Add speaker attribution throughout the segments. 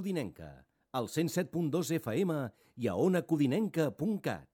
Speaker 1: Codinenca, al 107.2 FM i a onacodinenca.cat.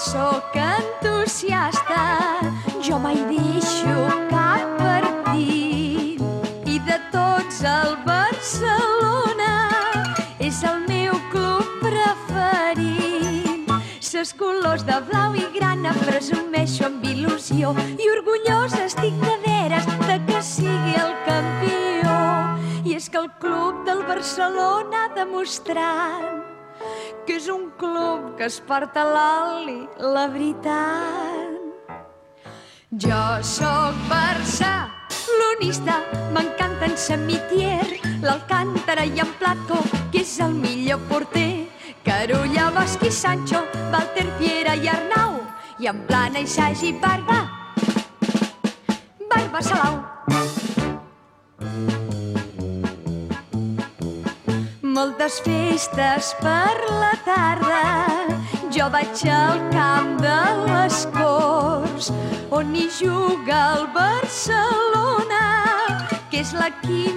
Speaker 2: sóc entusiasta, jo mai deixo cap partit. I de tots el Barcelona és el meu club preferit. Ses colors de blau i grana presumeixo amb il·lusió i orgullosa estic de veres de que sigui el campió. I és que el club del Barcelona ha demostrat que és un club que es porta l'oli, la veritat. Jo sóc barcelonista, m'encanta en Samitier, l'Alcántara i en Platko, que és el millor porter. Carulla, Bosch i Sancho, Walter, Piera i Arnau, i en Plana i Sagi i Barba Salau. Moltes festes per la tarda, jo vaig al camp de les Corts, on hi juga el Barcelona, que és l'equip.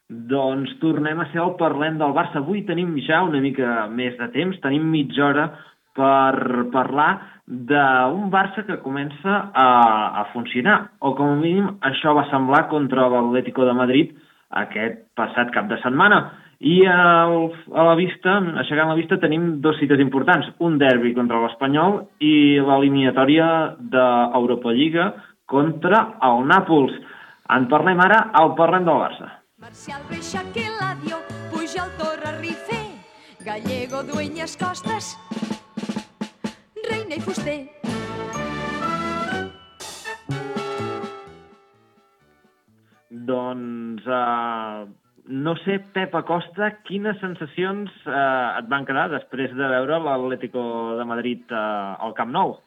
Speaker 3: Doncs tornem a ser al Parlem del Barça. Avui tenim ja una mica més de temps, tenim mitja hora per parlar d'un Barça que comença a funcionar, o com a mínim això va semblar contra l'Atlético de Madrid aquest passat cap de setmana. I a la vista, aixecant la vista, tenim dos cites importants. Un derbi contra l'Espanyol i l'eliminatòria d'Europa Lliga contra el Nàpols. En parlem ara al Parlem del Barça.
Speaker 2: Marcial, Reixac, Eladio, Pujol, Torres, Rifé, Gallego, Dueñas, Costas, Reina i Fuster.
Speaker 3: Doncs no sé, Pep Acosta, quines sensacions et van quedar després de veure l'Atlético de Madrid al Camp Nou?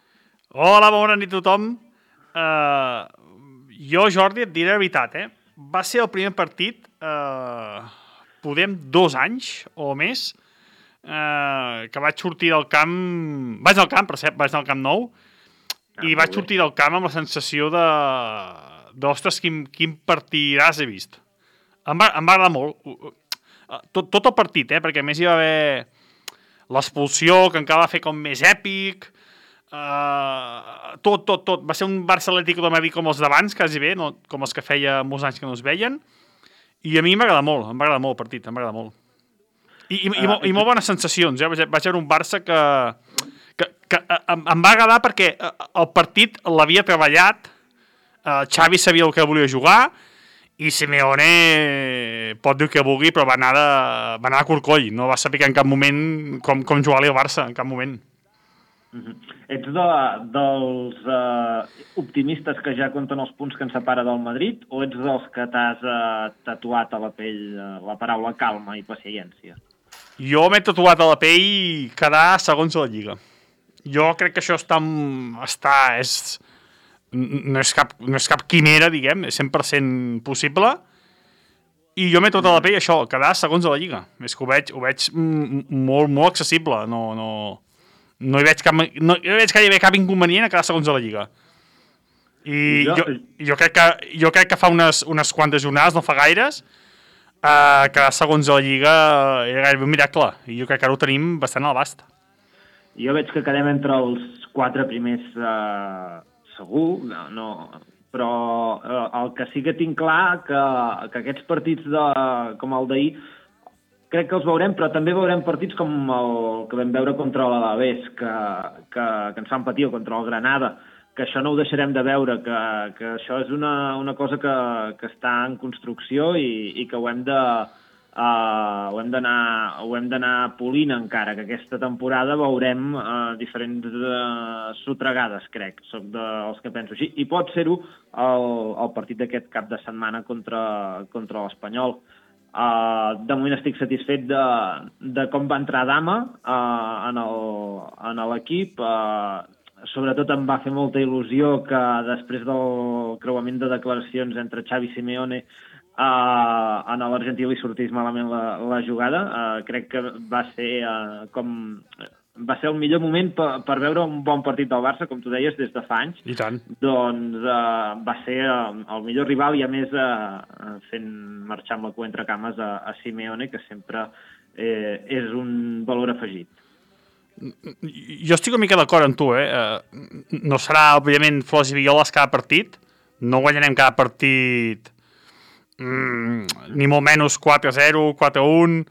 Speaker 4: Hola, bona nit a tothom. Jo, Jordi, et diré la veritat, Va ser el primer partit, podem 2 anys o més, que vaig sortir del camp... Vaig al camp, per cert, vaig al Camp Nou, i vaig sortir del camp amb la sensació de ostres, quin partidàs he vist. Em va agradar molt. Tot el partit, perquè a més hi va haver l'expulsió, que encara va fer com més èpic. Tot. Va ser un Barça Atlético de Madrid com els d'abans, quasi bé, no, com els que feia molts anys que no es veien. I a mi m'agrada molt el partit, m'agrada molt. I molt bones sensacions, Vaig veure un Barça que em va agradar perquè el partit l'havia treballat, Xavi sabia el que volia jugar i Simeone pot dir el que vulgui, però va anar a corcoll, no va saber en cap moment com jugar-li al Barça, en cap moment.
Speaker 3: Ets dels optimistes que ja compten els punts que ens separa del Madrid o ets dels que t'has tatuat a la pell la paraula calma i paciència?
Speaker 4: Jo m'he tatuat a la pell quedar segons a la Lliga. Jo crec que això no és cap quimera, diguem, és 100% possible, i jo m'he tatuat a la pell això, quedar segons a la Lliga. És que ho veig molt, molt accessible, no hi veig gairebé cap inconvenient a quedar segons a la Lliga. I jo crec que fa unes quantes jornades, no fa gaires, quedar segons a la Lliga era gairebé un miracle, i jo crec que ara ho tenim bastant a l'abast.
Speaker 3: Jo veig que quedem entre els 4 primers segur, però el que sí que tinc clar que aquests partits com el d'ahir crec que els veurem, però també veurem partits com el que vam veure contra l'Alavés, que ens fan patir, o contra el Granada, que això no ho deixarem de veure, que això és una cosa que està en construcció i que ho hem d'anar polint encara, que aquesta temporada veurem diferents sotregades, crec. Soc dels que penso així. I pot ser-ho el partit d'aquest cap de setmana contra l'Espanyol. De moment estic satisfet de com va entrar Dama en l'equip. Sobretot em va fer molta il·lusió que després del creuament de declaracions entre Xavi i Simeone a l'Argentí li sortís malament la jugada. Crec que va ser el millor moment per veure un bon partit del Barça, com tu deies, des de fa anys.
Speaker 4: I tant.
Speaker 3: Doncs va ser el millor rival, i a més fent marxar amb la cua entre cames a Simeone, que sempre és un valor afegit.
Speaker 4: jo estic una mica d'acord amb tu, no serà, òbviament, flors i violes cada partit, no guanyarem cada partit ni molt menys 4-0, 4-1,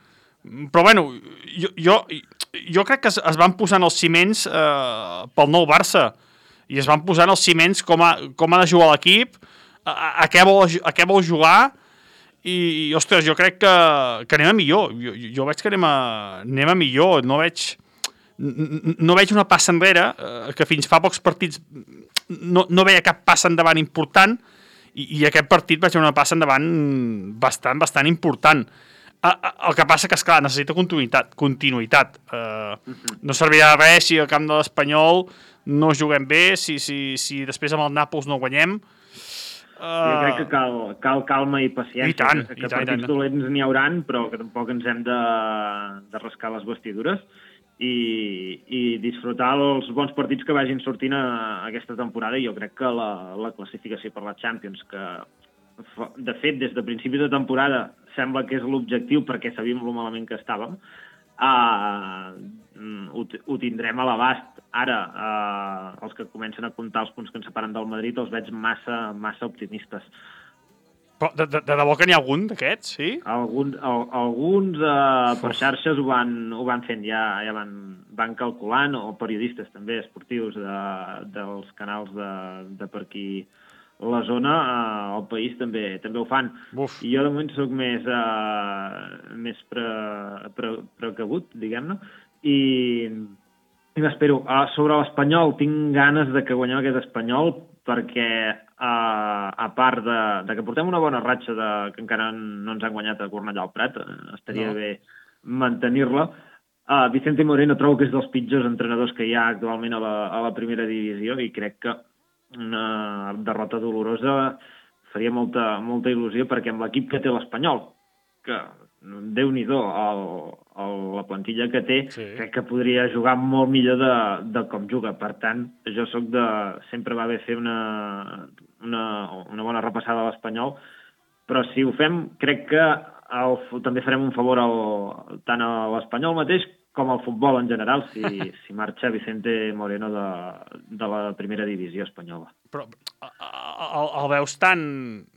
Speaker 4: però bueno, jo crec que es van posant els ciments pel nou Barça, i es van posant els ciments com ha de jugar l'equip, a què vol jugar, i ostres, jo crec que anem a millor. Jo veig que anem a millor. No veig una passa enrere, que fins fa pocs partits no veia cap passa endavant important, i aquest partit vaig veure una passa endavant bastant important. El que passa que, esclar, necessita continuïtat. No servirà de res si al camp de l'Espanyol no juguem bé, si després amb el Nàpols no guanyem.
Speaker 3: Jo crec que cal calma i paciència. Que partits dolents n'hi hauran, però que tampoc ens hem de rascar les vestidures i disfrutar els bons partits que vagin sortint aquesta temporada. I jo crec que la classificació per la Champions, que de fet des de principis de temporada sembla que és l'objectiu perquè sabíem lo malament que estàvem, ho tindrem a l'abast. Ara, els que comencen a comptar els punts que ens separen del Madrid els veig massa optimistes.
Speaker 4: Però de debò que n'hi ha algun d'aquests, sí?
Speaker 3: Alguns per xarxes ho van fent, ja van calculant, o periodistes també esportius dels canals de per aquí la zona, al país també ho fan.
Speaker 4: Uf.
Speaker 3: I jo de moment soc més precabut, diguem-ne, i m'espero. Sobre l'Espanyol, tinc ganes de que guanyem aquest Espanyol perquè, a part de que portem una bona ratxa que encara no ens han guanyat a Cornellà al Prat, estaria bé mantenir-la. Vicente Moreno trobo que és dels pitjors entrenadors que hi ha actualment a la primera divisió i crec que una derrota dolorosa faria molta il·lusió perquè amb l'equip que té l'Espanyol, que Déu-n'hi-do la plantilla que té, sí, crec que podria jugar molt millor de com juga. Per tant, jo sóc sempre va bé fer una bona repassada a l'Espanyol, però si ho fem, crec que també farem un favor tant a l'Espanyol mateix com al futbol en general, si marxa Vicente Moreno de la primera divisió espanyola.
Speaker 4: Però el veus tan...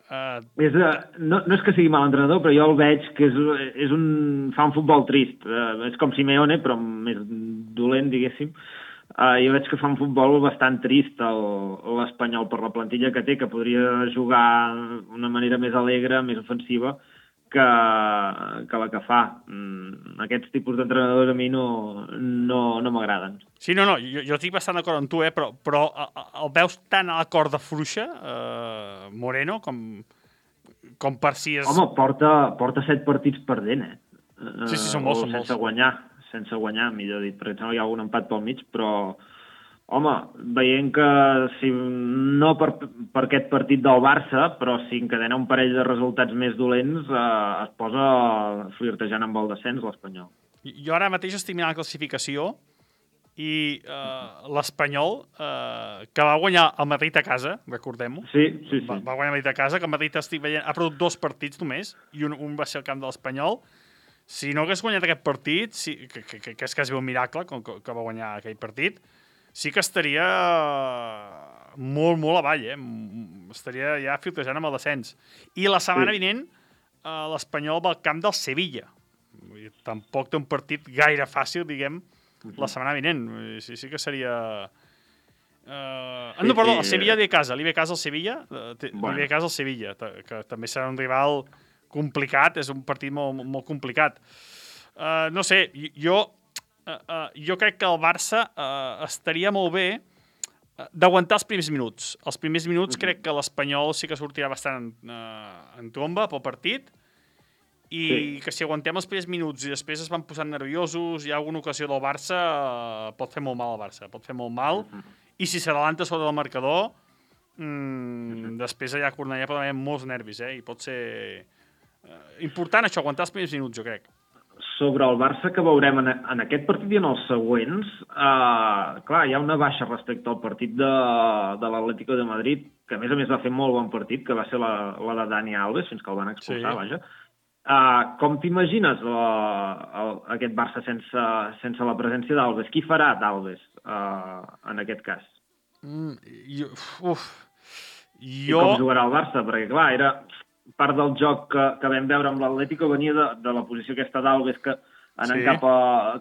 Speaker 3: No és que sigui mal entrenador, però jo el veig que fa un futbol trist. És com Simeone, però més dolent, diguéssim. Jo veig que fa un futbol bastant trist l'Espanyol per la plantilla que té, que podria jugar d'una manera més alegre, més ofensiva, que la que fa. Aquests tipus d'entrenadors a mi no m'agraden.
Speaker 4: Sí, no, jo estic bastant d'acord amb tu, però el veus tan a la corda fluixa, Moreno, com per si és...
Speaker 3: Home, porta 7 partits perdent,
Speaker 4: Sí, són molts.
Speaker 3: Sense guanyar, millor dit, perquè hi ha algun empat pel mig, però... Home, veient que si no per aquest partit del Barça, però si encadena un parell de resultats més dolents, es posa flirtejant amb el descens l'Espanyol.
Speaker 4: Jo ara mateix estic mirant la classificació i l'Espanyol, que va guanyar el Madrid a casa, recordem-ho.
Speaker 3: Sí.
Speaker 4: Va guanyar el Madrid a casa, que el Madrid estic veient, ha perdut 2 partits només, i un va ser al camp de l'Espanyol. Si no hagués guanyat aquest partit, que és quasi un miracle que va guanyar aquell partit, sí que estaria molt avall, estaria ja filtrejant amb el descens. I la setmana vinent l'Espanyol va al camp del Sevilla. Tampoc té un partit gaire fàcil, diguem, la setmana vinent. Sí que seria... No, perdó, el Sevilla li ve casa al Sevilla, que també serà un rival complicat, és un partit molt complicat. No sé, jo crec que el Barça estaria molt bé d'aguantar els primers minuts. Els primers minuts crec que l'Espanyol sí que sortirà bastant en tromba pel partit i que si aguantem els primers minuts i després es van posant nerviosos, hi ha alguna ocasió del Barça, pot fer molt mal al Barça, pot fer molt mal, i si s'adelanta sobre el marcador, després allà a Cornellà pot haver molts nervis, i pot ser important això, aguantar els primers minuts, jo crec.
Speaker 3: Sobre el Barça que veurem en aquest partit i en els següents, clar, hi ha una baixa respecte al partit de l'Atlético de Madrid, que a més va fer molt bon partit, que va ser la de Dani Alves, fins que el van expulsar, vaja. Com t'imagines aquest Barça sense la presència d'Alves? Qui farà d'Alves en aquest cas? I com jugarà el Barça? Perquè, clar, era part del joc que vam veure amb l'Atlético, venia de la posició aquesta d'Alves que anant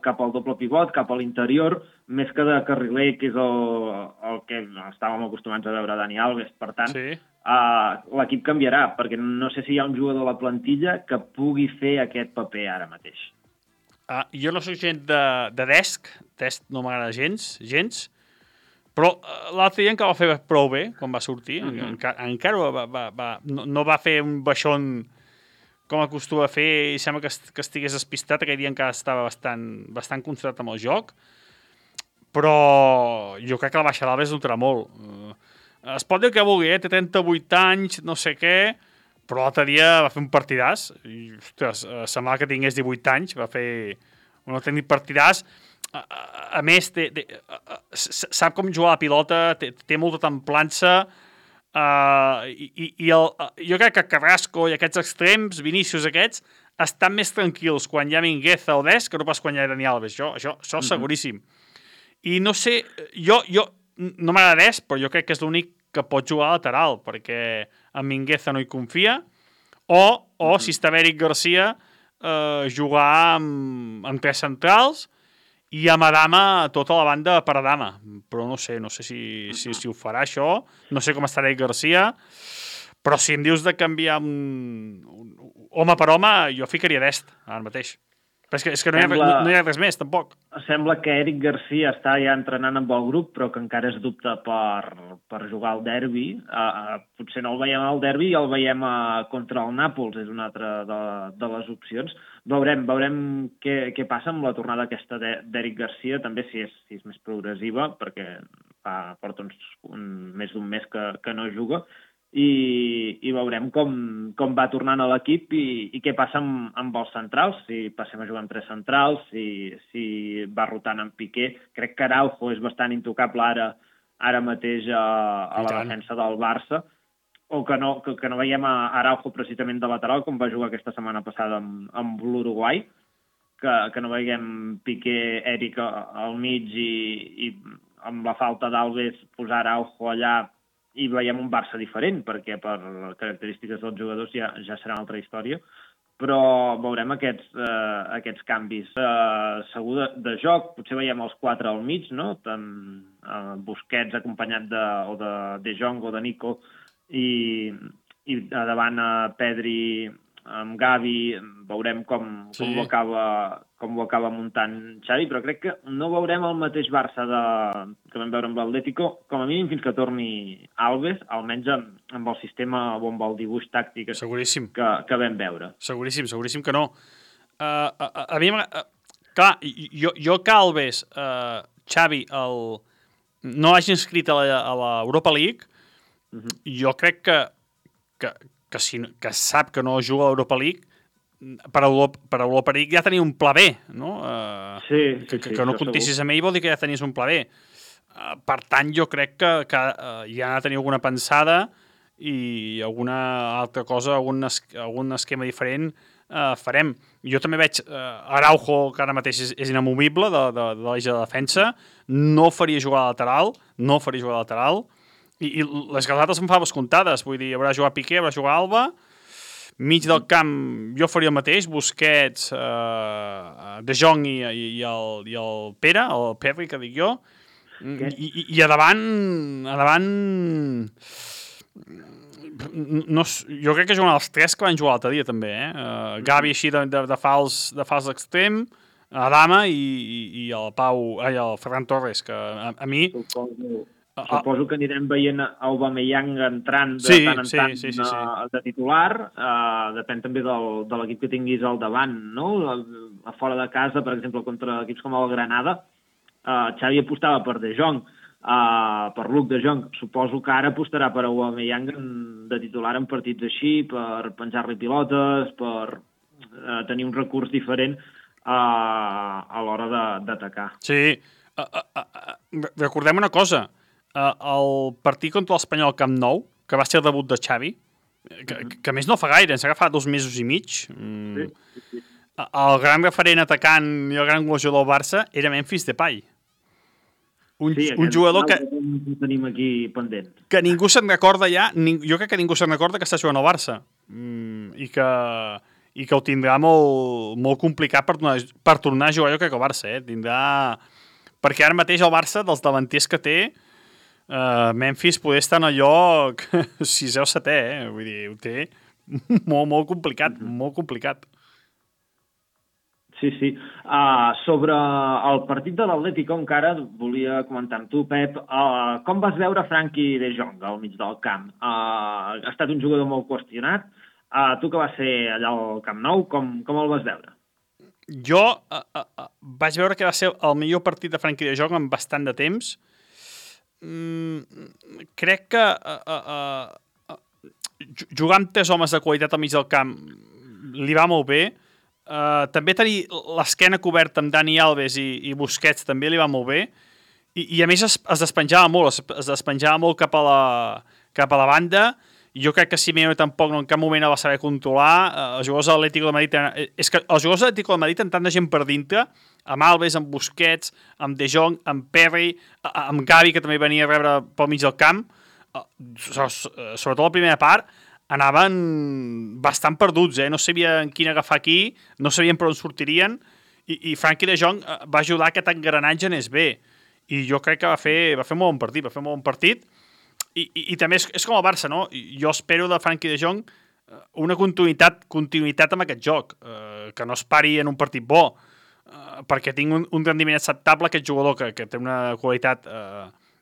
Speaker 3: cap al doble pivot, cap a l'interior, més que de carriler, que és el que estàvem acostumats a veure Dani Alves. Per tant, l'equip canviarà, perquè no sé si hi ha un jugador a la plantilla que pugui fer aquest paper ara mateix.
Speaker 4: Jo no soc gent de Dest no m'agrada gens, però l'altre dia encara va fer prou bé, quan va sortir. Encara no va fer un baixón com acostuma a fer, i sembla que estigués despistat. Aquell dia encara estava bastant concentrat amb el joc, però jo crec que la baixa d'Alves notarà molt. Es pot dir que vulgui, té 38 anys, no sé què, però l'altre dia va fer un partidàs, i, ostres, semblava que tingués 18 anys, va fer un autèntic partidàs. A més, sap com jugar a la pilota, té molta templança, jo crec que Carrasco i aquests extrems, Vinícius aquests, estan més tranquils quan hi ha Mingueza o Dest que no pas quan hi ha Dani Alves. Això seguríssim. I no sé, jo no m'agrada Dest, però jo crec que és l'únic que pot jugar a lateral, perquè en Mingueza no hi confia, o si està Eric Garcia, jugar amb tres centrals i amb Adama tota la banda per Adama, però no sé si ho farà això, no sé com estarà Garcia, però si em dius de canviar home per home, jo ficaria Dest ara mateix. Però és que no hi ha res més, tampoc. Sembla
Speaker 3: que Eric Garcia està ja entrenant amb el grup, però que encara es dubta per jugar al derbi. Potser no el veiem al derbi i el veiem contra el Nàpols, és una altra de les opcions. Veurem què passa amb la tornada aquesta d'Eric Garcia, també si és més progressiva, perquè porta més d'un mes que no juga, i veurem com va tornant a l'equip i què passa amb els centrals, si passem a jugar amb tres centrals, si va rotant amb Piqué. Crec que Araujo és bastant intocable ara mateix a la defensa del Barça, o que no veiem a Araujo precisament de lateral, com va jugar aquesta setmana passada amb l'Uruguai, que no veiem Piqué, Eric al mig i amb la falta d'Alves posar Araujo allà, i veiem un Barça diferent, perquè per característiques dels jugadors ja serà una altra història, però veurem aquests canvis. Segur de joc, potser veiem els quatre al mig, no? Busquets acompanyat de Jong o de Nico, i davant Pedri amb Gavi, veurem com ho acaba muntant Xavi, però crec que no veurem el mateix Barça que vam veure amb l'Atlético, com a mínim fins que torni Alves, almenys amb el sistema o amb el dibuix tàctic que vam veure.
Speaker 4: Seguríssim que no. A mi, clar, jo que Alves, Xavi, no hagi inscrit a l'Europa League, jo crec que sap que no juga a l'Europa League, per Europa League ja tenia un pla B, no? Que no comptessis amb ell vol dir que ja tenies un pla B. Per tant, jo crec que ja ha de tenir alguna pensada i alguna altra cosa, algun esquema diferent farem. Jo també veig Araujo, que ara mateix és inamovible de l'eix de defensa, no faria jugar a lateral, i les galades em fa comptades, vull dir, haurà jugat Piqué, haurà jugat Alba, mig del camp jo faria el mateix, Busquets, De Jong i el Pere, el Perri, que dic jo, i a davant jo crec que juguen els tres que van jugar l'altre dia també, Gavi així de fals extrem, Adama i el Ferran Torres, que a mi...
Speaker 3: Suposo que anirem veient Aubameyang entrant de tant en tant de titular, depèn també de l'equip que tinguis al davant, no? A fora de casa, per exemple, contra equips com el Granada, Xavi apostava per De Jong, per Luc De Jong. Suposo que ara apostarà per Aubameyang de titular en partits així, per penjar-li pilotes, per tenir un recurs diferent a l'hora d'atacar.
Speaker 4: Sí, recordem una cosa, el partit contra l'Espanyol al Camp Nou, que va ser el debut de Xavi, que a més no fa gaire, ens ha agafat 2 mesos i mig.
Speaker 3: Sí.
Speaker 4: El gran referent atacant i el gran golejador del Barça era Memphis Depay. Un jugador que
Speaker 3: tenim aquí pendent.
Speaker 4: Que ningú se'n recorda ja, jo crec que ningú se'n recorda que està jugant al Barça. I que ho tindrà molt complicat per tornar a jugar, jo crec que al Barça, perquè ara mateix el Barça, dels davanters que té, Memphis poder estar en el lloc 6è o 7è, vull dir, ho té molt complicat, molt complicat.
Speaker 3: Sí. Sobre el partit de l'Atlético encara volia comentar amb tu, Pep, com vas veure Frenkie de Jong al mig del camp? Ha estat un jugador molt qüestionat. Tu que vas ser allà al Camp Nou, com el vas veure?
Speaker 4: Jo vaig veure que va ser el millor partit de Frenkie de Jong en bastant de temps. Crec que jugar amb 3 homes de qualitat al mig del camp li va molt bé. També tenir l'esquena coberta amb Dani Alves i Busquets també li va molt bé. I a més es despenjava molt cap a la banda. Jo crec que Simeone tampoc en cap moment el va saber controlar. Els jugadors de l'Atlético de Madrid... És que els jugadors de l'Atlético de Madrid tenen tanta gent per dintre, amb Alves, amb Busquets, amb De Jong, amb Perry, amb Gavi, que també venia a rebre pel mig del camp. Sobretot la primera part, anaven bastant perduts, no sabien quin agafar aquí, no sabien per on sortirien, i Frenkie de Jong va ajudar que aquest engranatge anés bé. I jo crec que va fer molt bon partit, i també és com el Barça, no? Jo espero de Frenkie de Jong una continuïtat amb aquest joc, que no es pari en un partit bo, perquè tinc un rendiment acceptable, aquest jugador que té una qualitat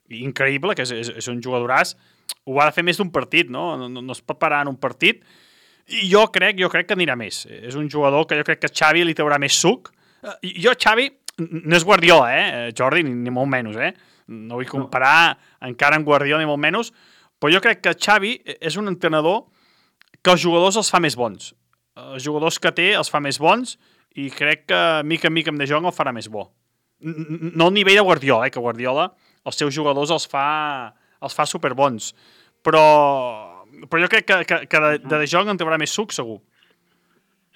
Speaker 4: increïble, que és un jugadoràs, ho ha de fer més d'un partit, no es pot parar en un partit, i jo crec que anirà més. És un jugador que jo crec que Xavi li traurà més suc. Xavi no és Guardiola, Jordi, ni molt menys, no vull comparar encara amb Guardiola ni molt menys, però jo crec que Xavi és un entrenador que els jugadors els fa més bons. Els jugadors que té els fa més bons, i crec que mica en mica amb De Jong el farà més bo. No al nivell de Guardiola, que Guardiola els seus jugadors els fa superbons, però jo crec que de Jong en traurà més suc, segur.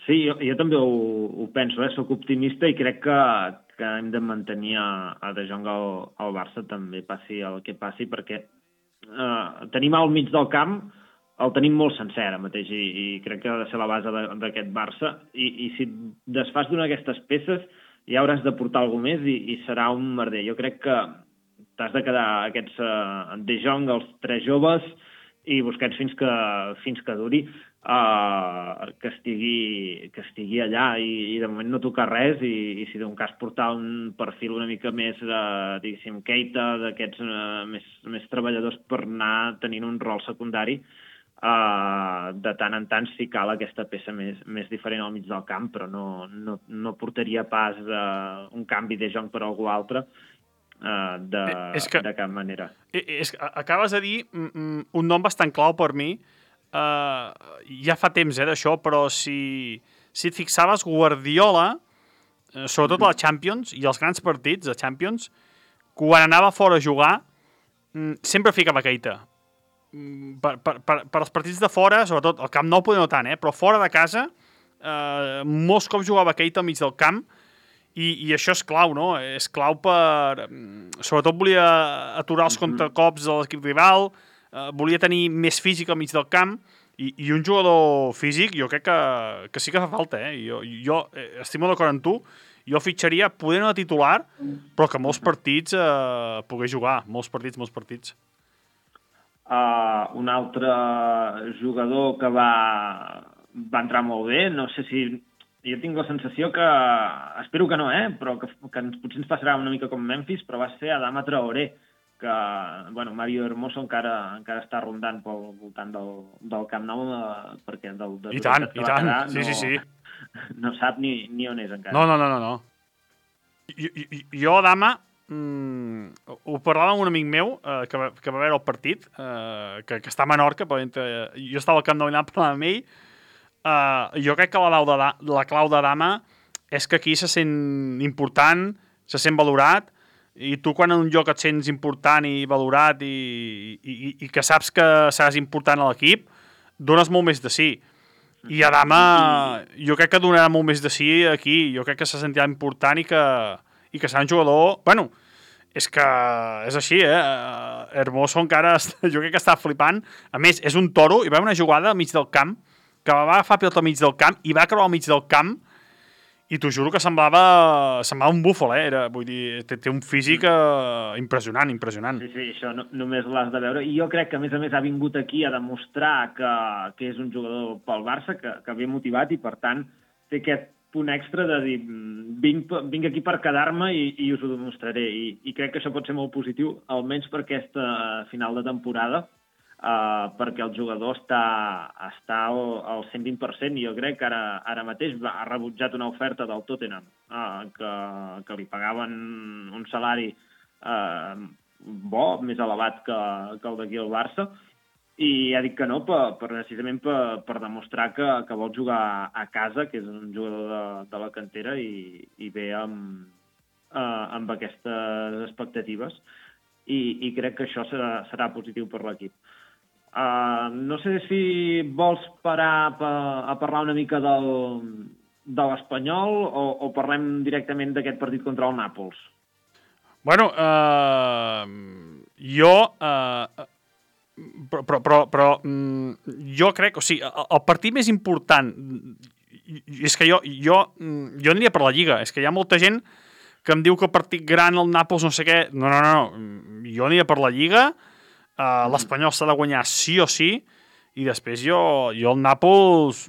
Speaker 3: Sí, jo també ho penso, soc optimista i crec que hem de mantenir a De Jong al Barça, també passi el que passi, perquè tenim al mig del camp, el tenim molt sencer ara mateix, i crec que ha de ser la base d'aquest Barça, i si desfas d'una d'aquestes peces ja hauràs de portar alguna més i serà un merder. Jo crec que t'has de quedar aquests De Jong, els 3 joves, i Busquets fins que duri, que estigui allà, i de moment no tocar res, i si d'un cas portar un perfil una mica més, diguéssim, Keita, d'aquests més treballadors, per anar tenint un rol secundari, de tant en tant si cal aquesta peça més diferent al mig del camp, però no portaria pas un canvi De Jong per algú altre, de cap manera.
Speaker 4: Acabes de dir un nom bastant clau per mi. Ja fa temps d'això, però si et fixaves, Guardiola, sobretot a la Champions i els grans partits de Champions, quan anava fora a jugar sempre ficava Keita. Per als partits de fora, sobretot al Camp Nou poder no tant, però fora de casa molts cops jugava Keita al mig del camp, i això és clau, no? És clau per... Sobretot volia aturar els contracops de l'equip rival, volia tenir més físic al mig del camp, i un jugador físic jo crec que sí que fa falta, Jo estic molt d'acord amb tu, jo fitxaria, poder no de titular, però que molts partits pogués jugar, molts partits.
Speaker 3: Un altre jugador que va entrar molt bé, no sé si... Jo tinc la sensació que, espero que no, però que potser ens passarà una mica com Memphis, però va ser Adama Traoré, que, Mario Hermoso encara està rondant pel voltant del Camp Nou, perquè
Speaker 4: I tant, sí.
Speaker 3: No sap ni on és encara.
Speaker 4: No. Jo, Adama, ho parlava amb un amic meu que va veure el partit, que està a Menorca, jo estava al Camp Nou i anava parlant amb ell. Jo crec que la clau d'Adama és que aquí se sent important, se sent valorat, i tu quan en un lloc et sents important i valorat i que saps que seràs important a l'equip, dones molt més de sí. I Adama, jo crec que donarà molt més de sí aquí. Jo crec que se sentirà important i que serà un jugador... Bueno, és que és així, Hermoso encara, jo crec que està flipant. A més, és un toro, i va una jugada al mig del camp, que va agafar pilota al mig del camp, i va creuar al mig del camp, i t'ho juro que semblava un búfal, vull dir, té un físic impressionant.
Speaker 3: Sí, això només l'has de veure. I jo crec que, a més, ha vingut aquí a demostrar que és un jugador pel Barça, que ve motivat, i, per tant, té aquest punt extra de dir vinc aquí per quedar-me i us ho demostraré. I crec que això pot ser molt positiu, almenys per aquesta final de temporada, perquè el jugador està al 120%, i jo crec que ara mateix ha rebutjat una oferta del Tottenham que li pagaven un salari bo, més elevat que el d'aquí al Barça, i ha dit que no precisament per demostrar que vol jugar a casa, que és un jugador de la cantera i ve amb aquestes expectatives, i crec que això serà positiu per l'equip. No sé si vols parar a parlar una mica de l'Espanyol o parlem directament d'aquest partit contra el Nàpols?
Speaker 4: Bueno, jo... Però jo crec... O sigui, el partit més important... És que jo aniria per la Lliga. És que hi ha molta gent que em diu que el partit gran, el Nàpols, no sé què... No. Jo aniria per la Lliga. L'Espanyol s'ha de guanyar sí o sí. I després jo el Nàpols...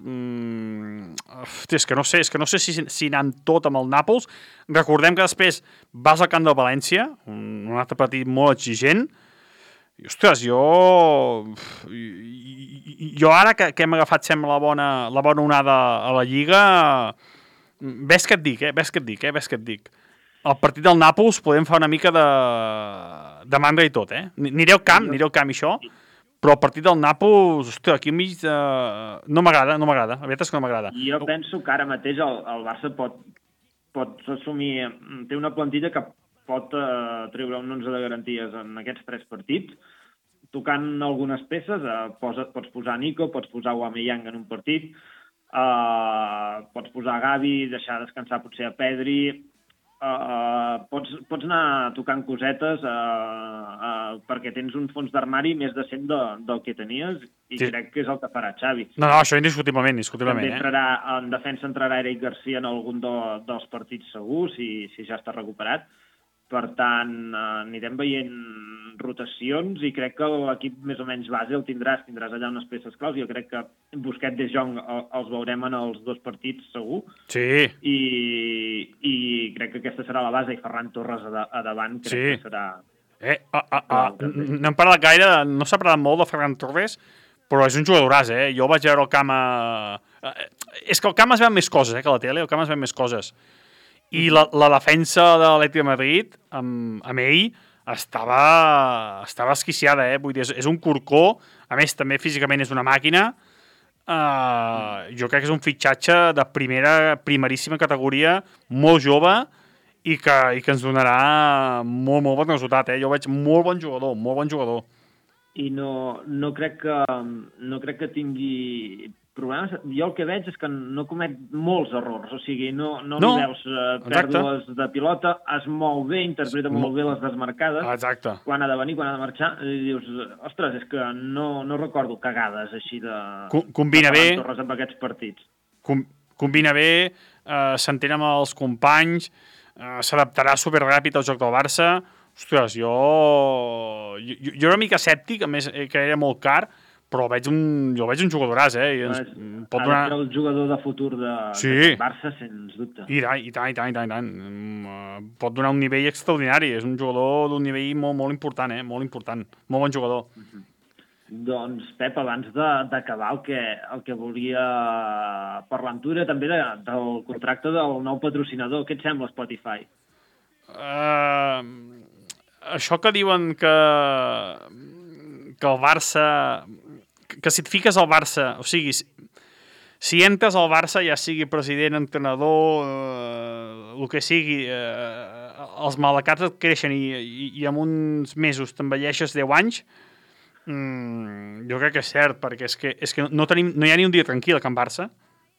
Speaker 4: és que no sé si anar amb tot amb el Nàpols. Recordem que després vas al camp del València, un altre partit molt exigent. I, ostres, jo ara que hem agafat, sembla, la bona onada a la Lliga, ves que et dic. El partit del Nàpols podem fer una mica de mandra i tot, Aniré al camp i això, però el partit del Nàpols, ostres, aquí enmig no m'agrada, la veritat és que no m'agrada.
Speaker 3: Jo penso que ara mateix el Barça pot assumir, té una plantilla que pot treure un 11 de garanties en aquests 3 partits, tocant algunes peces, pots posar Nico, pots posar Aubameyang en un partit, pots posar Gavi, deixar descansar potser a Pedri, pots anar tocant cosetes perquè tens un fons d'armari més decent del que tenies, i sí. Crec que és el que farà Xavi.
Speaker 4: No, això indiscutiblement.
Speaker 3: També en defensa entrarà Eric Garcia en algun dels partits segurs, si ja està recuperat. Per tant, anirem veient rotacions, i crec que l'equip més o menys base el tindràs allà unes peces claus. Jo crec que Busquets de Jong els veurem en els 2 partits segur.
Speaker 4: Sí.
Speaker 3: I crec que aquesta serà la base, i Ferran Torres a davant crec que serà...
Speaker 4: No hem parlat gaire, no s'ha parlat molt de Ferran Torres, però és un jugadoràs, Jo vaig veure el camp És que el camp es veuen més coses, que a la tele, el camp es veuen més coses. I la defensa de l'Atlètic de Madrid, amb ell, estava esquiciada, Vull dir, és un corcó, a més, també físicament és una màquina. Jo crec que és un fitxatge de primeríssima categoria, molt jove, i que ens donarà molt bon resultat, Jo veig molt bon jugador.
Speaker 3: I no crec que tingui problemes. Jo el que veig és que no comet molts errors, o sigui, no li veus pèrdues de pilota, es mou bé, interpreta molt bé les desmarcades.
Speaker 4: Exacte.
Speaker 3: Quan ha de venir, quan ha de marxar, i dius, ostres, és que no recordo cagades així de...
Speaker 4: Combina bé.
Speaker 3: Torres amb aquests partits.
Speaker 4: Combina bé, s'entén amb els companys, s'adaptarà superràpid al joc del Barça. Ostres, jo era una mica escèptic, a més que era molt car, però jo veig un jugadoràs, Pot donar...
Speaker 3: el jugador de futur de Barça, sens dubte.
Speaker 4: I tant. Pot donar un nivell extraordinari. És un jugador d'un nivell molt important, molt important. Molt bon jugador.
Speaker 3: Doncs, Pep, abans d'acabar, el que volia parlar amb tu era també del contracte del nou patrocinador. Què et sembla, Spotify?
Speaker 4: Això que diuen que el Barça... Que si et fiques al Barça, o sigui, si entres al Barça, ja sigui president, entrenador, el que sigui, els malacats et creixen i en uns mesos t'envelleixes 10 anys, Jo crec que és cert, perquè és que no hi ha ni un dia tranquil a Can Barça.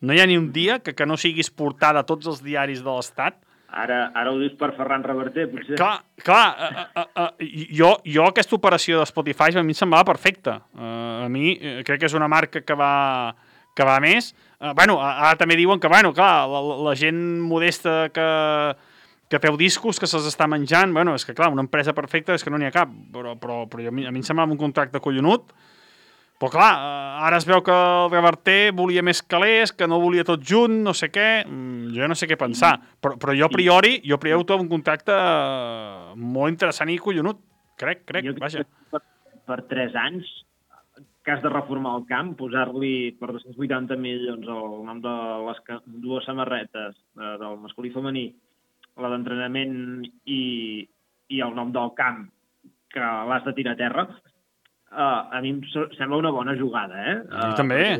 Speaker 4: No hi ha ni un dia que no siguis portada a tots els diaris de l'Estat.
Speaker 3: Ara ho dius per Ferran Reverter, potser.
Speaker 4: Clar, jo aquesta operació de Spotify a mi em semblava perfecta. A mi crec que és una marca que va més. Ara també diuen que, clar, la gent modesta que feu discos, que se'ls està menjant, és que, clar, una empresa perfecta és que no n'hi ha cap, però a mi em semblava un contracte collonut. Però, clar, ara es veu que el Reverter volia més calés, que no volia tot junt, no sé què. Jo no sé què pensar. Però jo a priori ho trobo un contracte molt interessant i collonut. Crec, vaja.
Speaker 3: Per 3 anys, que has de reformar el camp, posar-li per 280 milions el nom de les 2 samarretes del masculí i femení, la d'entrenament i el nom del camp, que l'has de tirar a terra, a mi em sembla una bona jugada, eh?
Speaker 4: A mi també.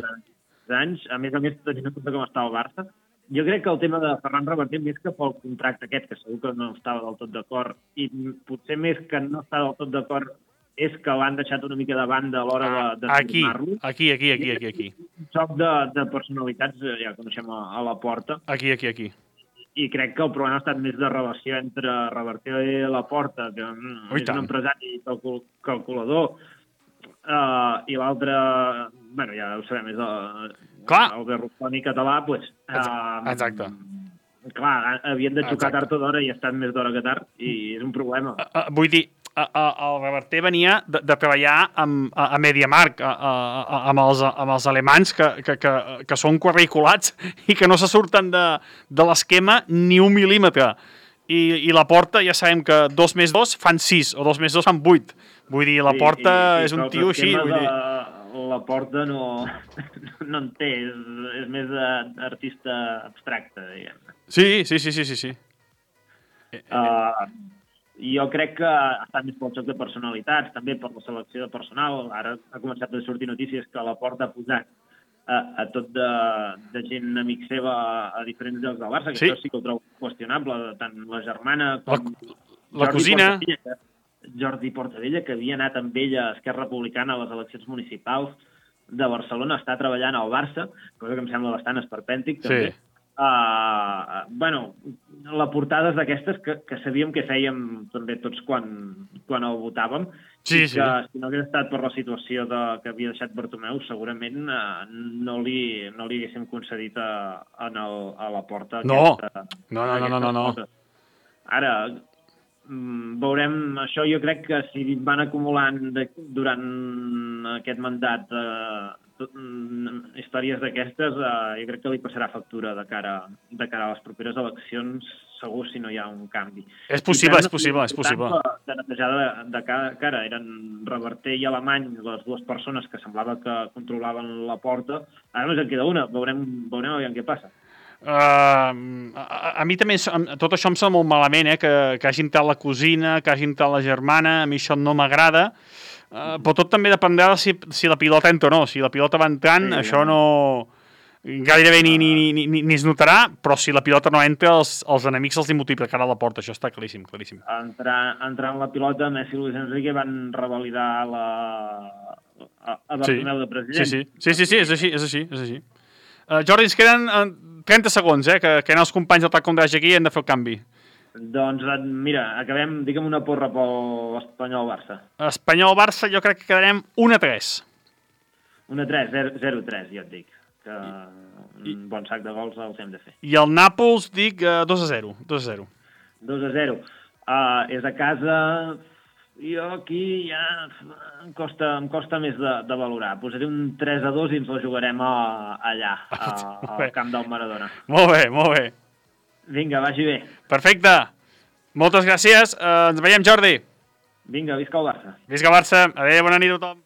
Speaker 3: Anys, a més, tenint en compte com està el Barça, jo crec que el tema de Ferran Reverter, més que pel contracte aquest, que segur que no estava del tot d'acord, i potser més que no està del tot d'acord, és que l'han deixat una mica de banda a l'hora de firmar-lo.
Speaker 4: Aquí.
Speaker 3: Un xoc de personalitats, ja coneixem a la porta.
Speaker 4: Aquí.
Speaker 3: I crec que el problema ha estat més de relació entre Reverter i Laporta, que és un empresari calculador, i l'altre, ja ho sabem, és el Berlusconi català, doncs...
Speaker 4: Exacte.
Speaker 3: Clar, havien de xocar tard o d'hora i ha estat més d'hora que tard, i és un problema.
Speaker 4: Vull dir, el Reverter venia de treballar a MediaMarkt, amb els alemans que són quadriculats i que no se surten de l'esquema ni un mil·límetre. I la Porta ja sabem que 2 més 2 fan 6, o 2 més 2 fan 8. Vull dir, la Porta és un tio així.
Speaker 3: La Porta no en té, és més artista abstracte, diguem.
Speaker 4: Sí.
Speaker 3: Jo crec que ha estat més pel xoc de personalitats, també per la selecció de personal. Ara ha començat a sortir notícies que la Porta ha posat a tot de gent amic seva a diferents llocs del Barça, que això sí que ho trobo qüestionable, tant la germana com
Speaker 4: la cosina.
Speaker 3: Jordi Portavella, que havia anat amb ella a Esquerra Republicana a les eleccions municipals de Barcelona, està treballant al Barça, cosa que em sembla bastant esperpèntic, també.
Speaker 4: Sí.
Speaker 3: La portada és d'aquestes que sabíem que fèiem també tots quan el votàvem,
Speaker 4: sí.
Speaker 3: Que si no hagués estat per la situació que havia deixat Bartomeu, segurament no li haguéssim concedit a la Porta.
Speaker 4: No.
Speaker 3: Ara, veurem això. Jo crec que si van acumulant durant aquest mandat històries d'aquestes, jo crec que li passarà factura de cara a les properes eleccions, segur, si no hi ha un canvi.
Speaker 4: És possible.
Speaker 3: De netejar de cara eren Reverter i Alemany, les dues persones que semblava que controlaven la Porta. Ara només en queda una, veurem aviam què passa.
Speaker 4: A mi també tot això em sembla molt malament, que hagi entrat la cosina, que hagi entrat la germana. A mi això no m'agrada, però tot també dependrà de si la pilota entra o no. Si la pilota va entrant, això no gairebé ni es notarà, però si la pilota no entra, els enemics els multiplicaran a la Porta. Això està claríssim.
Speaker 3: Entrant la pilota, Messi i Luis Enrique van revalidar a Bartomeu de president.
Speaker 4: Sí, és així. Jordi, ens queden 30 segons, que els companys del TAC Condratge aquí hem de fer el canvi.
Speaker 3: Doncs mira, acabem, digue'm una porra pel Espanyol-Barça.
Speaker 4: Espanyol-Barça jo crec que quedarem 1-3.
Speaker 3: 1-3, 0-3, jo et dic. Que un bon sac de gols els hem de fer.
Speaker 4: I el Nàpols dic 2-0.
Speaker 3: 2-0. És a casa... Jo aquí ja em costa més de valorar. Posaré un 3-2 i ens la jugarem allà, al camp del Maradona.
Speaker 4: Molt bé.
Speaker 3: Vinga, vagi bé.
Speaker 4: Perfecte. Moltes gràcies. Ens veiem, Jordi.
Speaker 3: Vinga, visca el Barça.
Speaker 4: Visca el Barça. Adéu, bona nit a tothom.